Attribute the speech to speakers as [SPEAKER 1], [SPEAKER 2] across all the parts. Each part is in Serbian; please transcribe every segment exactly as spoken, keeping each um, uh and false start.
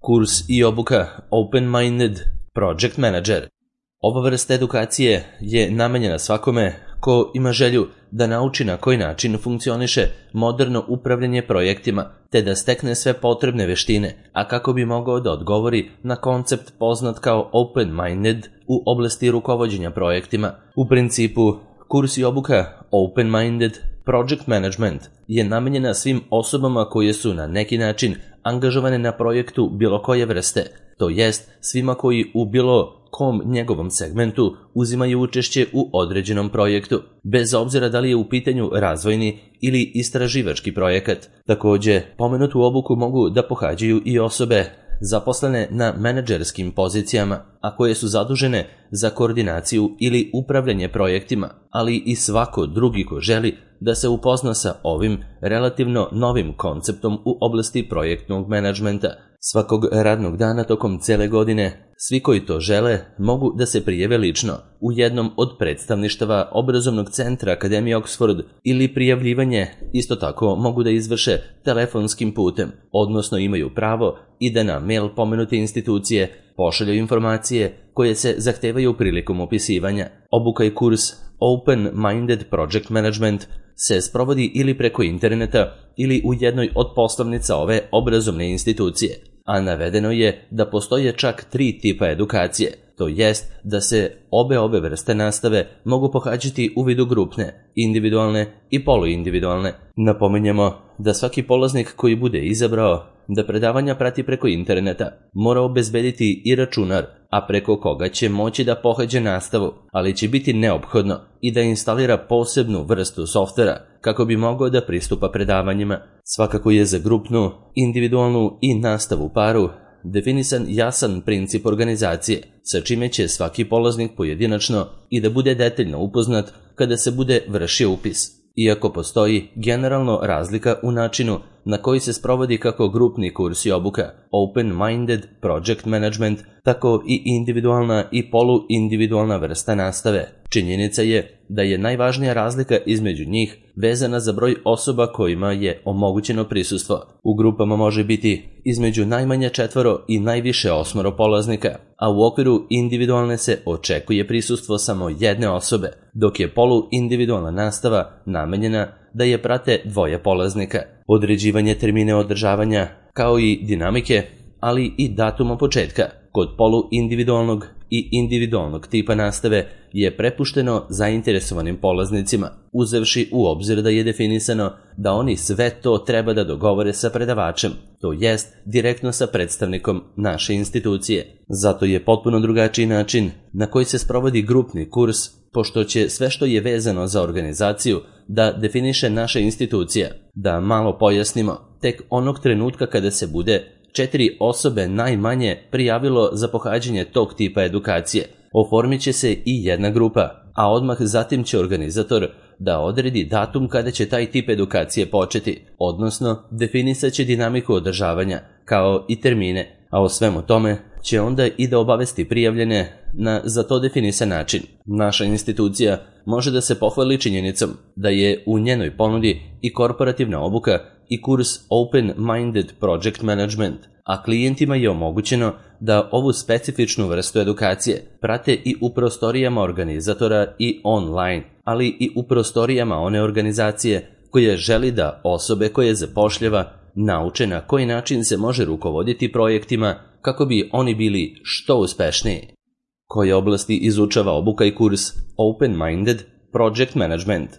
[SPEAKER 1] Kurs i obuka Open-Minded Project Manager. Ova vrsta edukacije je namenjena svakome ko ima želju da nauči na koji način funkcioniše moderno upravljanje projektima, te da stekne sve potrebne veštine, a kako bi mogao da odgovori na koncept poznat kao Open-Minded u oblasti rukovođenja projektima. U principu, kurs i obuka Open-Minded Project Management je namenjena svim osobama koje su na neki način angažovane na projektu bilo koje vrste, to jest svima koji u bilo kom njegovom segmentu uzimaju učešće u određenom projektu, bez obzira da li je u pitanju razvojni ili istraživački projekat. Takođe, pomenutu obuku mogu da pohađaju i osobe zaposlene na menadžerskim pozicijama, a koje su zadužene za koordinaciju ili upravljanje projektima, ali i svako drugi ko želi da se upozna sa ovim relativno novim konceptom u oblasti projektnog menadžmenta. Svakog radnog dana tokom cele godine, svi koji to žele mogu da se prijave lično u jednom od predstavništava obrazovnog centra Akademije Oxford ili prijavljivanje isto tako mogu da izvrše telefonskim putem, odnosno imaju pravo i da na mail pomenute institucije pošalju informacije koje se zahtevaju prilikom upisivanja. Obuka i kurs Open-Minded Project Management se sprovodi ili preko interneta ili u jednoj od poslovnica ove obrazovne institucije, a navedeno je da postoje čak tri tipa edukacije, to jest da se obe ove vrste nastave mogu pohađati u vidu grupne, individualne i poluindividualne. Napominjemo da svaki polaznik koji bude izabrao da predavanja prati preko interneta mora obezbediti i računar, a preko koga će moći da pohađa nastavu, ali će biti neophodno i da instalira posebnu vrstu softvera kako bi mogao da pristupa predavanjima. Svakako je za grupnu, individualnu i nastavu paru definisan jasan princip organizacije, sa čime će svaki polaznik pojedinačno i da bude detaljno upoznat kada se bude vršio upis. Iako postoji generalno razlika u načinu na koji se sprovodi kako grupni kurs i obuka Open-Minded Project Management, tako i individualna i poluindividualna vrsta nastave. Činjenica je da je najvažnija razlika između njih vezana za broj osoba kojima je omogućeno prisustvo. U grupama može biti između najmanje četvoro i najviše osmoro polaznika, a u okviru individualne se očekuje prisustvo samo jedne osobe, dok je poluindividualna nastava namenjena da je prate dvoje polaznika. Određivanje termine održavanja, kao i dinamike, ali i datuma početka kod poluindividualnog i individualnog tipa nastave je prepušteno zainteresovanim polaznicima, uzevši u obzir da je definisano da oni sve to treba da dogovore sa predavačem, to jest direktno sa predstavnikom naše institucije. Zato je potpuno drugačiji način na koji se sprovodi grupni kurs, pošto će sve što je vezano za organizaciju da definiše naša institucija. Da malo pojasnimo, tek onog trenutka kada se bude četiri osobe najmanje prijavilo za pohađanje tog tipa edukacije, oformit će se i jedna grupa, a odmah zatim će organizator da odredi datum kada će taj tip edukacije početi, odnosno definisat će dinamiku održavanja, kao i termine, a o svemu tome će onda i da obavesti prijavljene na za to definisan način. Naša institucija može da se pohvali činjenicom da je u njenoj ponudi i korporativna obuka i kurs Open-Minded Project Management, a klijentima je omogućeno da ovu specifičnu vrstu edukacije prate i u prostorijama organizatora i online, ali i u prostorijama one organizacije koja želi da osobe koje zapošljava nauče na koji način se može rukovoditi projektima kako bi oni bili što uspešniji. Koje oblasti izučava obuka i kurs Open-Minded Project Management?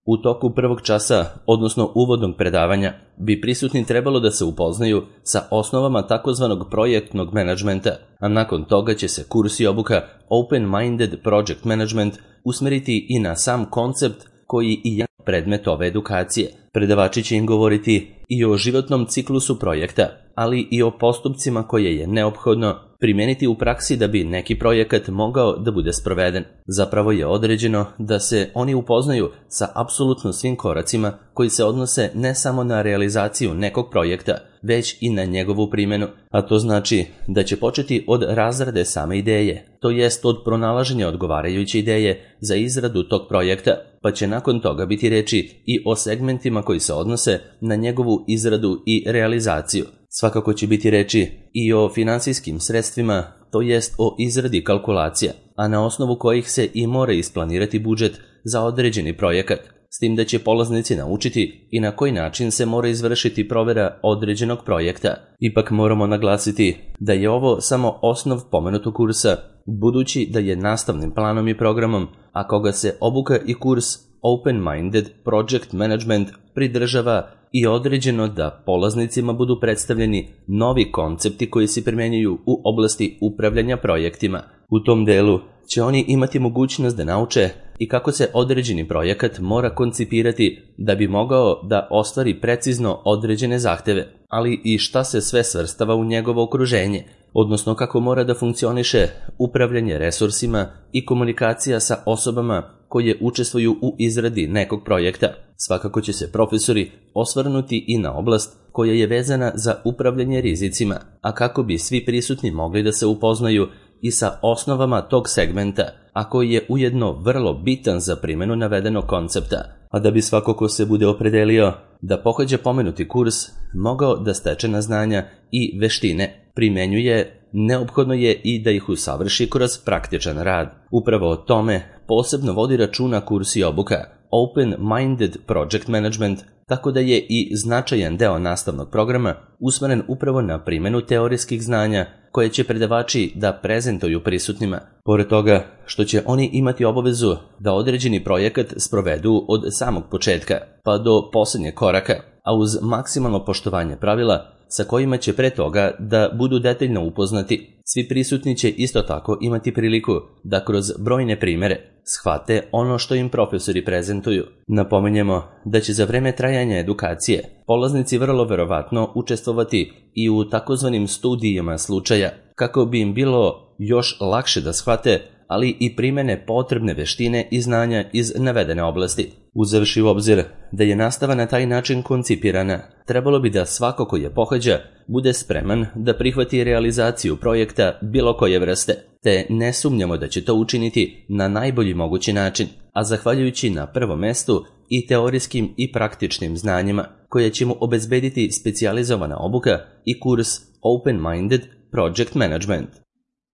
[SPEAKER 1] U toku prvog časa, odnosno uvodnog predavanja, bi prisutni trebalo da se upoznaju sa osnovama takozvanog projektnog menadžmenta, a nakon toga će se kurs i obuka Open-Minded Project Management usmeriti i na sam koncept koji i je predmet ove edukacije. Predavači će im govoriti i o životnom ciklusu projekta, ali i o postupcima koje je neophodno primeniti u praksi da bi neki projekat mogao da bude sproveden. Zapravo je određeno da se oni upoznaju sa apsolutno svim koracima koji se odnose ne samo na realizaciju nekog projekta, već i na njegovu primjenu, a to znači da će početi od razrade same ideje, to jest od pronalaženja odgovarajuće ideje za izradu tog projekta, pa će nakon toga biti reči i o segmentima koji se odnose na njegovu izradu i realizaciju. Svakako će biti reči i o finansijskim sredstvima, to jest o izradi kalkulacija, a na osnovu kojih se i mora isplanirati budžet za određeni projekat, s tim da će polaznici naučiti i na koji način se mora izvršiti provera određenog projekta. Ipak moramo naglasiti da je ovo samo osnov pomenutog kursa, budući da je nastavnim planom i programom, a koga se obuka i kurs Open-Minded Project Management pridržava i određeno da polaznicima budu predstavljeni novi koncepti koji se primjenjuju u oblasti upravljanja projektima. U tom delu će oni imati mogućnost da nauče i kako se određeni projekat mora koncipirati da bi mogao da ostvari precizno određene zahteve, ali i šta se sve svrstava u njegovo okruženje, odnosno kako mora da funkcioniše upravljanje resursima i komunikacija sa osobama koje učestvuju u izradi nekog projekta. Svakako će se profesori osvrnuti i na oblast koja je vezana za upravljanje rizicima, a kako bi svi prisutni mogli da se upoznaju i sa osnovama tog segmenta, a koji je ujedno vrlo bitan za primjenu navedenog koncepta, a da bi svako ko se bude opredelio da pohađa pomenuti kurs mogao da stečena znanja i veštine primenjuje, neophodno je i da ih usavrši kroz praktičan rad. Upravo o tome posebno vodi računa kurs i obuka Open-Minded Project Management, tako da je i značajan deo nastavnog programa usmeren upravo na primjenu teorijskih znanja koje će predavači da prezentuju prisutnima. Pored toga što će oni imati obavezu da određeni projekat sprovedu od samog početka pa do posljednjeg koraka, a uz maksimalno poštovanje pravila sa kojima će pre toga da budu detaljno upoznati. Svi prisutni će isto tako imati priliku da kroz brojne primere shvate ono što im profesori prezentuju. Napominjemo da će za vreme trajanja edukacije polaznici vrlo verovatno učestvovati i u takozvanim studijama slučaja, kako bi im bilo još lakše da shvate, ali i primene potrebne veštine i znanja iz navedene oblasti. Uzevši u obzir da je nastava na taj način koncipirana, trebalo bi da svako ko je pohađa bude spreman da prihvati realizaciju projekta bilo koje vrste, te ne sumnjamo da će to učiniti na najbolji mogući način, a zahvaljujući na prvom mestu i teorijskim i praktičnim znanjima koje će mu obezbediti specijalizovana obuka i kurs Open-Minded Project Management.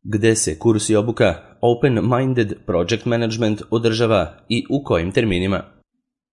[SPEAKER 1] Gde se kurs i obuka Open-Minded Project Management održava i u kojim terminima?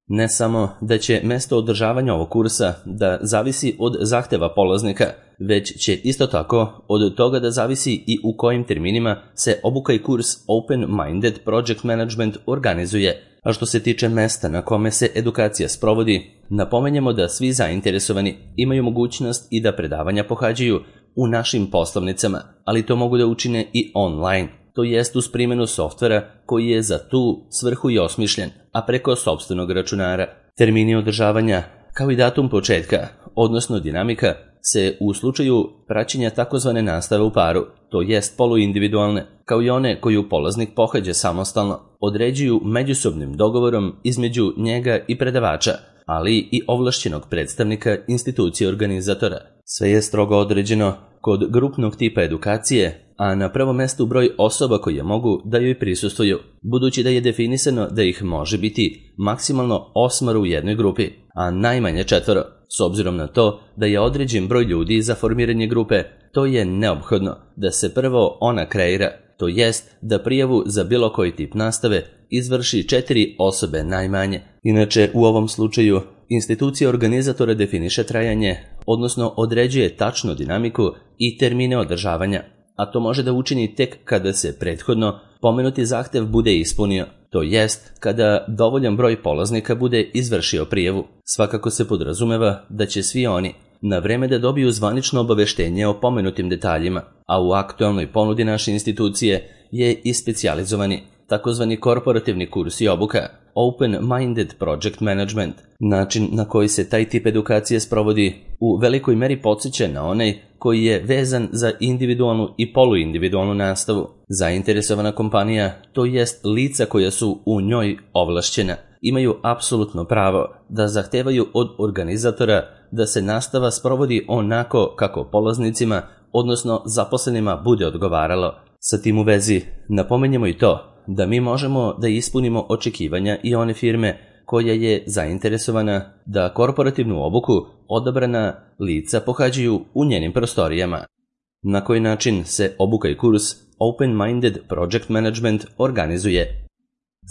[SPEAKER 1] Ne samo da će mesto održavanja ovog kursa da zavisi od zahteva polaznika, već će isto tako od toga da zavisi i u kojim terminima se obuka i kurs Open-Minded Project Management organizuje. A što se tiče mesta na kome se edukacija sprovodi, napomenjemo da svi zainteresovani imaju mogućnost i da predavanja pohađaju u našim poslovnicama, ali to mogu da učine i online, to jest uz primjenu softvera koji je za tu svrhu i osmišljen, a preko sopstvenog računara. Termini održavanja, kao i datum početka, odnosno dinamika, se u slučaju praćenja takozvane nastave u paru, to jest poluindividualne, kao i one koju polaznik pohađa samostalno, određuju međusobnim dogovorom između njega i predavača, ali i ovlašćenog predstavnika institucije organizatora. Sve je strogo određeno kod grupnog tipa edukacije, a na prvom mestu broj osoba koje mogu da joj prisustvuju, budući da je definisano da ih može biti maksimalno osmoro u jednoj grupi, a najmanje četvoro. S obzirom na to da je određen broj ljudi za formiranje grupe, to je neophodno da se prvo ona kreira, to jest da prijavu za bilo koji tip nastave izvrši četiri osobe najmanje. Inače, u ovom slučaju, institucija organizatora definiše trajanje, odnosno određuje tačnu dinamiku i termine održavanja, a to može da učini tek kada se prethodno pomenuti zahtev bude ispunio, to jest kada dovoljan broj polaznika bude izvršio prijavu. Svakako se podrazumeva da će svi oni na vreme da dobiju zvanično obaveštenje o pomenutim detaljima, a u aktualnoj ponudi naše institucije je i specijalizovani takozvani korporativni kurs i obuka Open-Minded Project Management. Način na koji se taj tip edukacije sprovodi u velikoj meri podsjeća na onaj koji je vezan za individualnu i poluindividualnu nastavu. Zainteresovana kompanija, to jest lica koja su u njoj ovlašćena, imaju apsolutno pravo da zahtevaju od organizatora da se nastava sprovodi onako kako polaznicima, odnosno zaposlenima, bude odgovaralo. Sa tim u vezi napomenjemo i to da mi možemo da ispunimo očekivanja i one firme koja je zainteresovana da korporativnu obuku odabrana lica pohađaju u njenim prostorijama. Na koji način se obuka i kurs Open-Minded Project Management organizuje?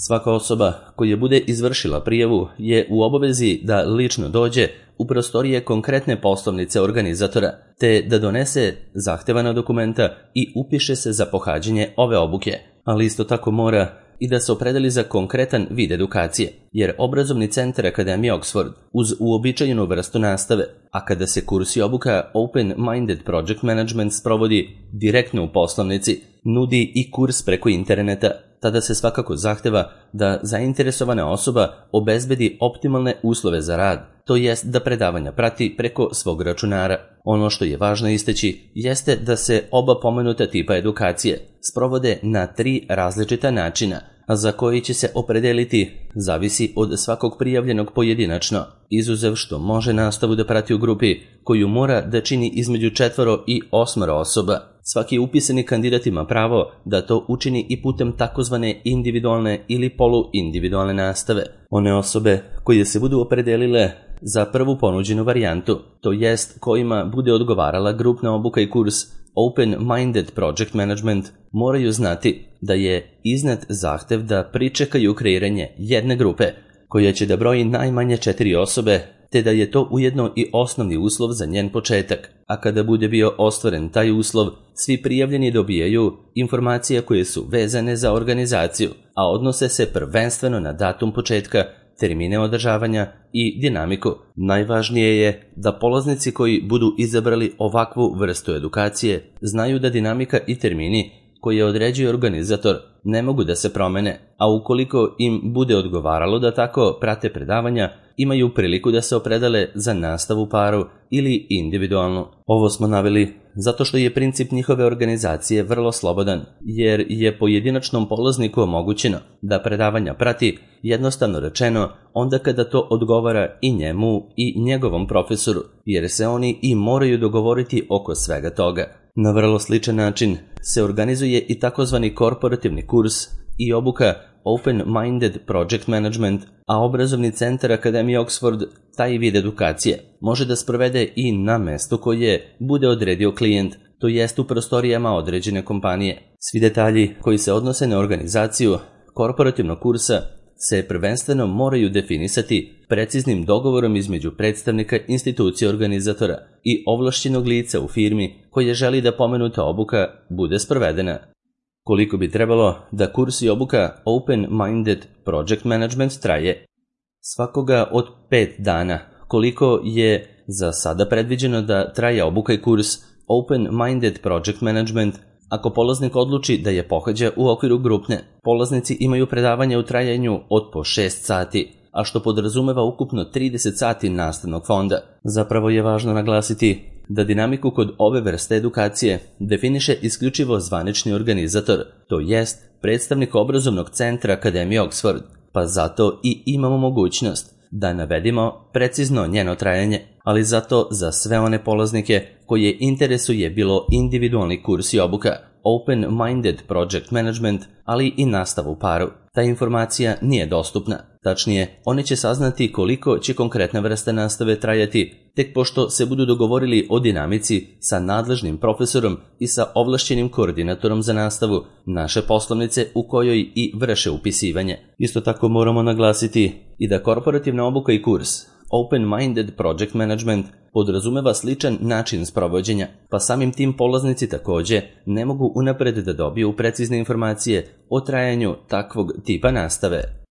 [SPEAKER 1] Svaka osoba koja bude izvršila prijavu je u obavezi da lično dođe u prostorije konkretne poslovnice organizatora, te da donese zahtevana dokumenta i upiše se za pohađanje ove obuke, ali isto tako mora i da se opredeli za konkretan vid edukacije, jer obrazovni centar Akademije Oxford uz uobičajenu vrstu nastave, a kada se kurs i obuka Open-Minded Project Management sprovodi direktno u poslovnici, nudi i kurs preko interneta, tada se svakako zahteva da zainteresovana osoba obezbedi optimalne uslove za rad, to jest da predavanja prati preko svog računara. Ono što je važno istaći jeste da se oba pomenuta tipa edukacije sprovode na tri različita načina, a za koji će se opredeliti zavisi od svakog prijavljenog pojedinačno, izuzev što može nastavu da prati u grupi koju mora da čini između četvoro i osmoro osoba. Svaki upisani kandidat ima pravo da to učini i putem takozvane individualne ili poluindividualne nastave. One osobe koje se budu opredelile za prvu ponuđenu varijantu, to jest kojima bude odgovarala grupna obuka i kurs Open-Minded Project Management, moraju znati da je iznet zahtev da pričekaju kreiranje jedne grupe koja će da broji najmanje četiri osobe, te da je to ujedno i osnovni uslov za njen početak, a kada bude bio ostvaren taj uslov, svi prijavljeni dobijaju informacije koje su vezane za organizaciju, a odnose se prvenstveno na datum početka, termine održavanja i dinamiku. Najvažnije je da polaznici koji budu izabrali ovakvu vrstu edukacije znaju da dinamika i termini koje određuje organizator ne mogu da se promene, a ukoliko im bude odgovaralo da tako prate predavanja, imaju priliku da se opredele za nastavu paru ili individualnu. Ovo smo naveli zato što je princip njihove organizacije vrlo slobodan, jer je pojedinačnom polazniku omogućeno da predavanja prati, jednostavno rečeno, onda kada to odgovara i njemu i njegovom profesoru, jer se oni i moraju dogovoriti oko svega toga. Na vrlo sličan način se organizuje i takozvani korporativni kurs i obuka Open-Minded Project Management, a obrazovni centar Akademije Oxford taj vid edukacije može da sprovede i na mestu koje bude odredio klijent, to jest u prostorijama određene kompanije. Svi detalji koji se odnose na organizaciju korporativnog kursa se prvenstveno moraju definisati preciznim dogovorom između predstavnika institucije organizatora i ovlašćenog lica u firmi koje želi da pomenuta obuka bude sprovedena. Koliko bi trebalo da kurs i obuka Open-Minded Project Management traje? Svakoga od pet dana. Koliko je za sada predviđeno da traje obuka i kurs Open-Minded Project Management, ako polaznik odluči da je pohađa u okviru grupne, polaznici imaju predavanje u trajanju od po šest sati, a što podrazumeva ukupno trideset sati nastavnog fonda. Zapravo je važno naglasiti da dinamiku kod ove vrste edukacije definiše isključivo zvanični organizator, to jest predstavnik obrazovnog centra Akademije Oxford, pa zato i imamo mogućnost da navedimo precizno njeno trajanje, ali zato za sve one polaznike koje interesuje bilo individualni kurs i obuka, Open-Minded Project Management, ali i nastavu u paru. Ta informacija nije dostupna. Tačnije, oni će saznati koliko će konkretna vrsta nastave trajati, tek pošto se budu dogovorili o dinamici sa nadležnim profesorom i sa ovlašćenim koordinatorom za nastavu naše poslovnice u kojoj i vrše upisivanje. Isto tako moramo naglasiti i da korporativna obuka i kurs Open-Minded Project Management podrazumeva sličan način sprovođenja, pa samim tim polaznici takođe ne mogu unapred da dobiju precizne informacije o trajanju takvog tipa nastave.